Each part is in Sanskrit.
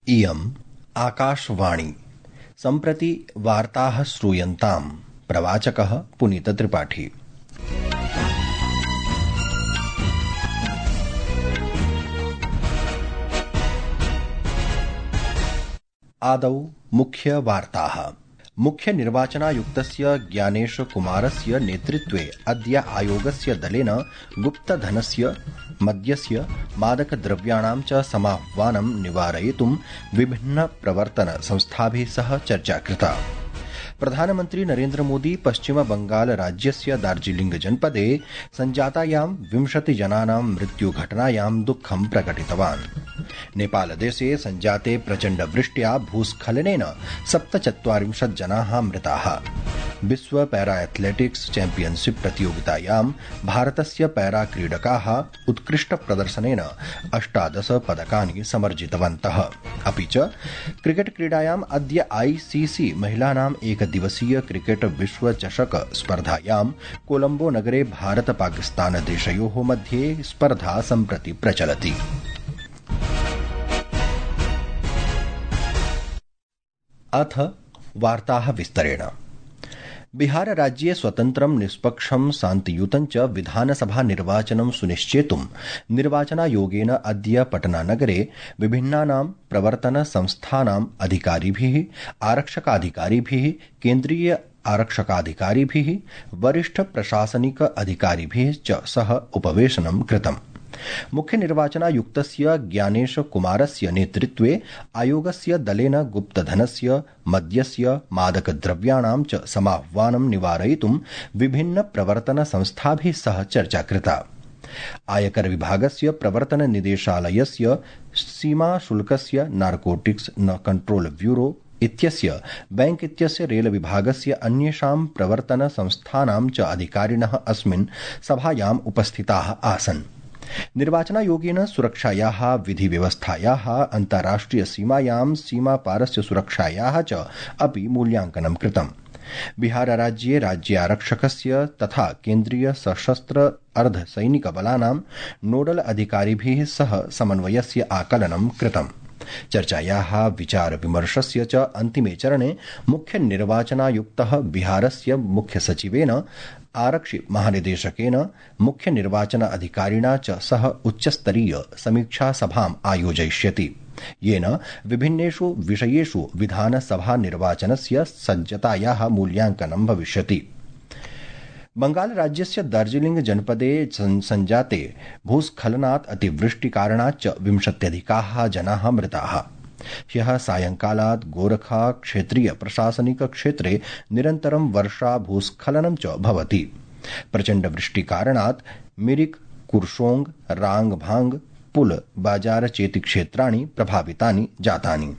इयम् आकाशवाणी। सम्प्रति वार्ताः श्रूयन्ताम्। प्रवाचकः पुनीतत्रिपाठी। आदौ मुख्यवार्ताः। मुख्यनिर्वाचनायुक्तस्य ज्ञानेशकुमारस्य नेतृत्वे अद्य आयोगस्य दलेन गुप्तधनस्य, मद्यस्य, मादकद्रव्याणां च समाह्वानं निवारयितुं विभिन्नप्रवर्तन संस्थाभिः सह चर्चा कृता। प्रधानमन्त्री नरेन्द्र मोदी पश्चिम बंगाल राज्यस्य दार्जिलिंग जनपदे संजातायां 20 जनानां मृत्युघटनायां दुःखं प्रकटितवान्। नेपालदेशे संजाते प्रचण्डवृष्ट्या भूस्खलनेन 47 जनाः मृताः। विश्व पैरा एथलेटिक्स चैम्पियनशिप प्रतियोगितायां भारतस्य पैरा क्रीडकाः उत्कृष्ट प्रदर्शनेन 18 पदकानि समर्जितवन्तः। अपि च क्रिकेट क्रीडायाम् अद्य आईसीसी महिलानाम् एकदिवसीय क्रिकेट विश्व चषक स्पर्धायां कोलंबो नगरे भारत पाकिस्तान देशयोः मध्ये स्पर्धा सम्प्रति प्रचलति। अथ वार्ताः विस्तरेण। बिहार राज्ये स्वतन्त्रं, निष्पक्षं, शान्तियुतं च विधानसभा निर्वाचनं सुनिश्चेतुं निर्वाचनायोगेन अद्य पटनानगरे विभिन्नानां प्रवर्तन संस्थानाम् अधिकारिभिः, आरक्षकाधिकारिभिः, केन्द्रीय आरक्षकाधिकारिभिः, वरिष्ठ प्रशासनिक अधिकारिभिः च सह उपवेशनं कृतम्। मुख्यनिर्वाचनायुक्तस्य ज्ञानेशकुमारस्य नेतृत्वे आयोगस्य दलेन गुप्तधनस्य, मद्यस्य, मादकद्रव्याणां च समाह्वानं निवारयितुं विभिन्न प्रवर्तन संस्थाभिः सह चर्चा कृता। आयकर विभागस्य प्रवर्तन निदेशालयस्य, सीमाशुल्कस्य, नार्कोटिक्स कंट्रोल ब्यूरो इत्यस्य, बैंक इत्यस्य, रेल विभागस्य अन्येषां प्रवर्तन संस्थानां च अधिकारिणः अस्मिन् सभायाम् उपस्थिताः आसन्। निर्वाचनायोगेन सुरक्षायाः, विधिव्यवस्थायाः, अन्ताराष्ट्रिय सीमायां सीमापारस्य सुरक्षायाः च अपि मूल्यांकनं कृतम्। बिहार राज्ये राज्यारक्षकस्य तथा केन्द्रीय सशस्त्र अर्धसैनिकबलानां नोडल अधिकारिभिः सह समन्वयस्य आकलनं कृतम्। चर्चायाः, विचार विमर्शस्य च अन्तिमे चरणे मुख्य निर्वाचनायुक्तः बिहारस्य मुख्य सचिवेन, आरक्षि महानिदेशकेन, मुख्य निर्वाचन अधिकारिणा च सह उच्चस्तरीय समीक्षा सभाम् आयोजयिष्यति, येन विभिन्नेषु विषयेषु विधानसभा निर्वाचनस्य सज्जतायाः मूल्यांकनं भविष्यति। बंगाल राज्यस्य दार्जिलिंग जनपदे संजाते भूस्खलनात् अतिवृष्टिकारणात् 20 जनाः मृताः। ह्यः सायंकालात् गोरखा क्षेत्रीय प्रशासनिक क्षेत्रे निरन्तरं वर्षा, भूस्खलनं च भवति। प्रचण्डवृष्टिकारणात् मिरिक, कुर्शोंग, रांगभांग, पुल, बाजार चेति क्षेत्राणि प्रभावितानि जातानि।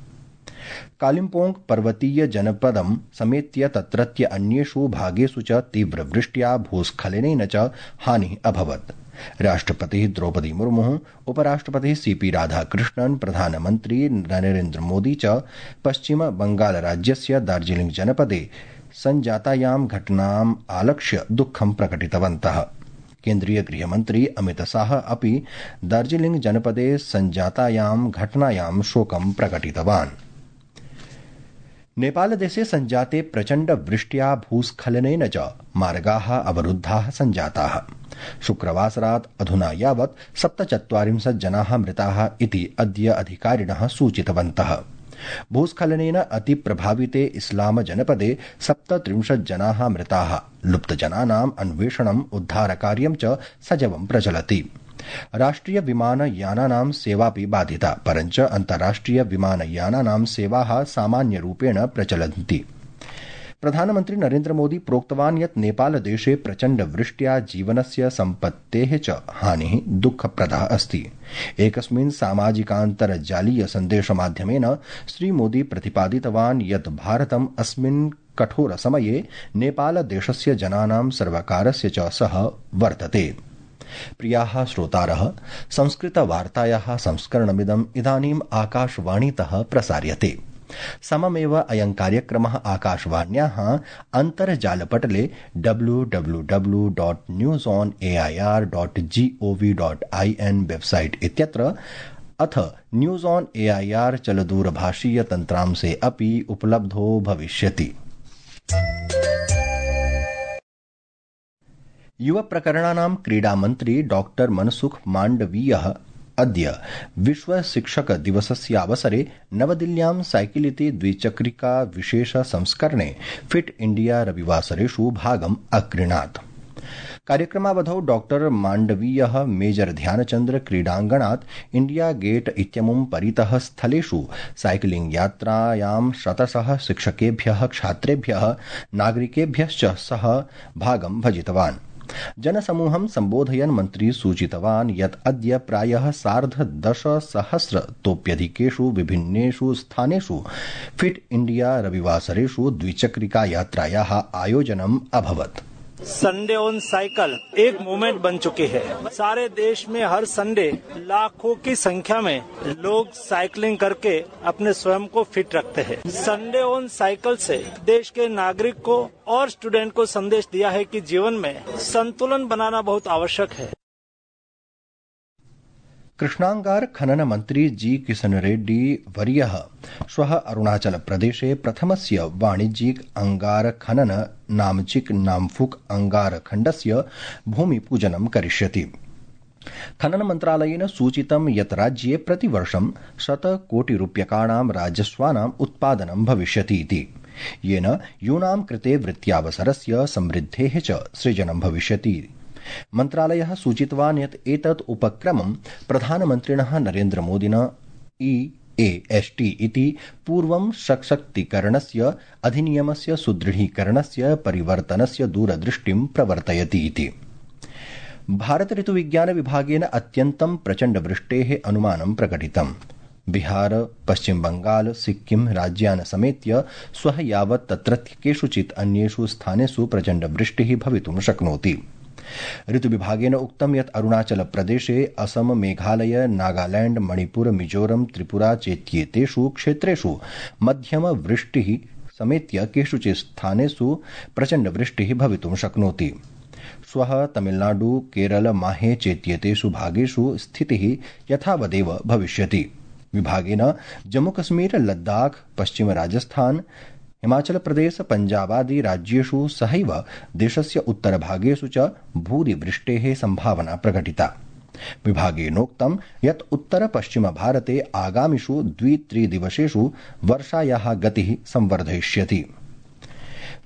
कालिम्पोंग पर्वतीय जनपदं समेत्य तत्रत्य अन्येषु भागेषु च तीव्रवृष्ट्या, भूस्खलनेन च हानिः अभवत्। राष्ट्रपतिः द्रौपदी मुर्मुः, उपराष्ट्रपतिः सीपी राधाकृष्णन्, प्रधानमन्त्री नरेन्द्र मोदी च पश्चिम बंगाल राज्यस्य दार्जिलिंग जनपदे संजातायां घटनाम् आलक्ष्य दुःखं प्रकटितवन्तः। केन्द्रीय गृहमन्त्री अमित शाह अपि दार्जिलिंग जनपदे संजातायां घटनायां शोकं प्रकटितवान्। नेपालदेशे संजाते प्रचण्डवृष्ट्या, भूस्खलनेन च मार्गाः अवरुद्धाः सञ्जाताः। शुक्रवासरात् अधुना यावत् 47 जनाः मृताः इति अद्य अधिकारिणः सूचितवन्तः। भूस्खलनेन अतिप्रभाविते इस्लाम जनपदे 37 जनाः मृताः। लुप्तजनानाम् अन्वेषणम्, उद्धारकार्यं च सजवं प्रचलति। राष्ट्रिय विमानयानानां सेवापि बाधिता, परञ्च अन्ताराष्ट्रिय विमानयानानां सेवाः सामान्यरूपेण प्रचलन्ति। प्रधानमन्त्री नरेन्द्र मोदी प्रोक्तवान् यत् नेपालदेशे प्रचण्डवृष्ट्या जीवनस्य, सम्पत्तेः च हानिः दुःखप्रदा अस्ति। एकस्मिन् सामाजिकान्तर्जालीय सन्देशमाध्यमेन श्रीमोदी प्रतिपादितवान् यत् भारतम् अस्मिन् कठोर समये नेपालदेशस्य जनानां, सर्वकारस्य च सह वर्तते। प्रियाः श्रोतारः, संस्कृतवार्तायाः संस्करणमिदम् इदानीम् आकाशवाणीतः प्रसार्यते। सममेव अयं कार्यक्रमः आकाशवाण्याः अन्तर्जालपटले www.newsonair.gov.in वेबसाइट इत्यत्र अथ न्यूज ऑन AIR चलदूरभाषीय तन्त्रांशे अपि उपलब्धो भविष्यति। युवप्रकरणानां क्रीडामन्त्री डॉक्टर मनसुख माण्डवीयः अद्य विश्व शिक्षक दिवसस्यावसरे नवदिल्ल्यां साइकिल इति द्विचक्रिका विशेष संस्करणे फिट इंडिया रविवासरेषु भागम् अगृह्णात्। कार्यक्रमावधौ डॉक्टर माण्डवीयः मेजर ध्यानचन्द्र क्रीडाङ्गणात् इंडिया गेट इत्यमुं परितः स्थलेषु साइकिलिंग यात्रायां शतशः शिक्षकेभ्यः छात्रेभ्यः नागरिकेभ्यश्च सह भागं भजितवान्। जनसमूहं सम्बोधयन् मन्त्री सूचितवान् यत् अद्य प्रायः 10,000तोप्यधिकेषु विभिन्नेषु स्थानेषु फिट इंडिया रविवासरेषु द्विचक्रिका यात्रायाः आयोजनम् अभवत्। संडे ऑन साइकिल एक मूवमेंट बन चुकी है। सारे देश में हर संडे लाखों की संख्या में लोग साइकिलिंग करके अपने स्वयं को फिट रखते हैं। संडे ऑन साइकिल से देश के नागरिक को और स्टूडेंट को संदेश दिया है कि जीवन में संतुलन बनाना बहुत आवश्यक है। कृष्णांगार खनन मंत्री जी किशन रेड्डी वर्यः श्वः अरुणाचल प्रदेशे प्रथमस्य वाणिज्यिक अंगार खनन नामचिक नामफुक अंगार खण्डस्य भूमिपूजनं करिष्यति। खनन मन्त्रालयेन सूचितं यत् राज्ये प्रतिवर्षं 100 कोटिरूप्यकाणां राजस्वानाम् उत्पादनं भविष्यति इति, येन यूनां कृते वृत्त्यावसरस्य समृद्धेः च सृजनं भविष्यति। मन्त्रालयः सूचितवान् यत् एतत् उपक्रमं प्रधानमन्त्रिणः नरेन्द्रमोदिना EAST इति पूर्वं सशक्तीकरणस्य अधिनियमस्य सुदृढीकरणस्य परिवर्तनस्य दूरदृष्टिं प्रवर्तयति इति। भारत ऋतुविज्ञान विभागेन अत्यन्तं प्रचण्डवृष्टेः अनुमानं प्रकटितम्। बिहार, पश्चिम बंगाल, सिक्किम राज्यान् समेत्य श्वः यावत् तत्रत्य केषुचित् अन्येषु स्थानेषु प्रचण्डवृष्टिः भवितुं शक्नोति। ऋतुविभागेन उक्तं यत् अरुणाचल प्रदेशे, असम, मेघालय, नागालैंड, मणिपुर, मिजोरम, त्रिपुरा चेत्येतेषु क्षेत्रेषु मध्यम वृष्टिः समेत्य केषुचित् स्थानेषु प्रचण्डवृष्टिः भवितुं शक्नोति। श्वः तमिलनाडु, केरल, माहे चेत्येतेषु भागेषु स्थितिः यथावदेव भविष्यति। विभागेन जम्मूकश्मीर, लद्दाख, पश्चिम राजस्थान, हिमाचल प्रदेश, पंजाबादि राज्येषु सहैव देशस्य उत्तरभागेषु च भूरिवृष्टेः सम्भावना प्रकटिता। विभागेनोक्तं यत् उत्तर पश्चिम भारते आगामिषु 2-3 दिवसेषु वर्षायाः गतिः संवर्धयिष्यति।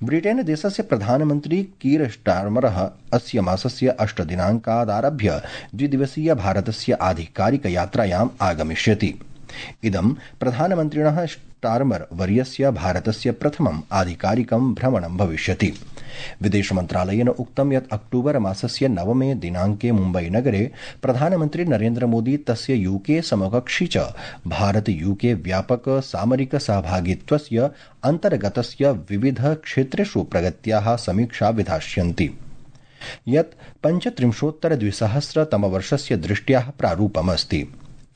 ब्रिटेन देशस्य प्रधानमन्त्री कीर स्टार्मरः अस्य मासस्य 8 दिनाङ्कादारभ्य द्विदिवसीय भारतस्य आधिकारिक यात्रायाम् आगमिष्यति। इदं प्रधानमन्त्रिणः स्टार्मर वर्यस्य भारतस्य प्रथमम् आधिकारिकं भ्रमणं भविष्यति। विदेशमन्त्रालयेन उक्तं यत् अक्टूबर मासस्य 9 दिनाङ्के मुम्बईनगरे प्रधानमन्त्री नरेन्द्रमोदी तस्य यूके समकक्षी च भारत यूके व्यापक सामरिक सहभागित्वस्य अन्तर्गतस्य विविध क्षेत्रेषु प्रगत्याः समीक्षा विधास्यन्ति, यत् 35-2000तमवर्षस्य दृष्ट्याः प्रारूपमस्ति।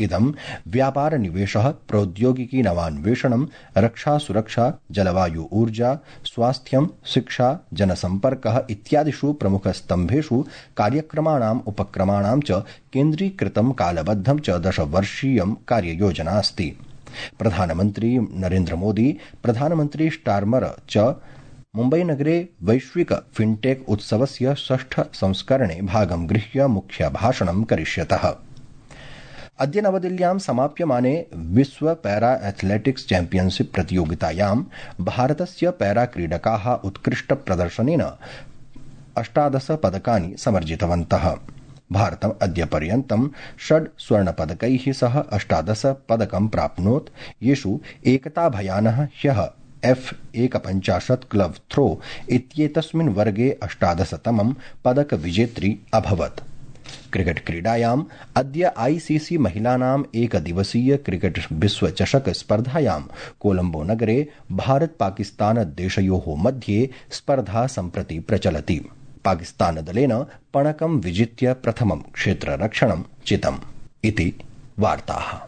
इदं व्यापार निवेशः, प्रौद्योगिकी नवान्वेषणं, रक्षा सुरक्षा, जलवायु ऊर्जा, स्वास्थ्यं, शिक्षा, जनसम्पर्कः इत्यादिषु प्रमुखस्तम्भेषु कार्यक्रमाणाम् उपक्रमाणां च केन्द्रीकृतं कालबद्धं च 10-वर्षीयं कार्ययोजना अस्ति। प्रधानमन्त्री नरेन्द्रमोदी, प्रधानमन्त्री स्टार्मर च मुम्बईनगरे वैश्विक फिनटेक उत्सवस्य 6ठ संस्करणे भागं गृह्य मुख्यभाषणं करिष्यतः। अद्य नवदिल्ल्यां समाप्यमाने विश्व पैरा एथलेटिक्स चैम्पियनशिप प्रतियोगितायां भारतस्य पैरा क्रीडकाः उत्कृष्ट प्रदर्शनेन 18 पदकानि समर्जितवन्तः। भारतम् अद्य पर्यन्तं 6 स्वर्णपदकैः सह 18 पदकं प्राप्नोत्, येषु एकताभयानः ह्यः F51 क्लब थ्रो इत्येतस्मिन् वर्गे 18तमं पदकविजेत्री अभवत्। क्रिकेट क्रीडायाम् अद्य ICC महिलानाम् एकदिवसीय क्रिकेट विश्वचषक स्पर्धायां कोलंबो नगरे भारत पाकिस्तान देशयोः मध्ये स्पर्धा सम्प्रति प्रचलति। पाकिस्तान दलेन पणकं विजित्य प्रथमं क्षेत्ररक्षणं चितम् इति वार्ताः।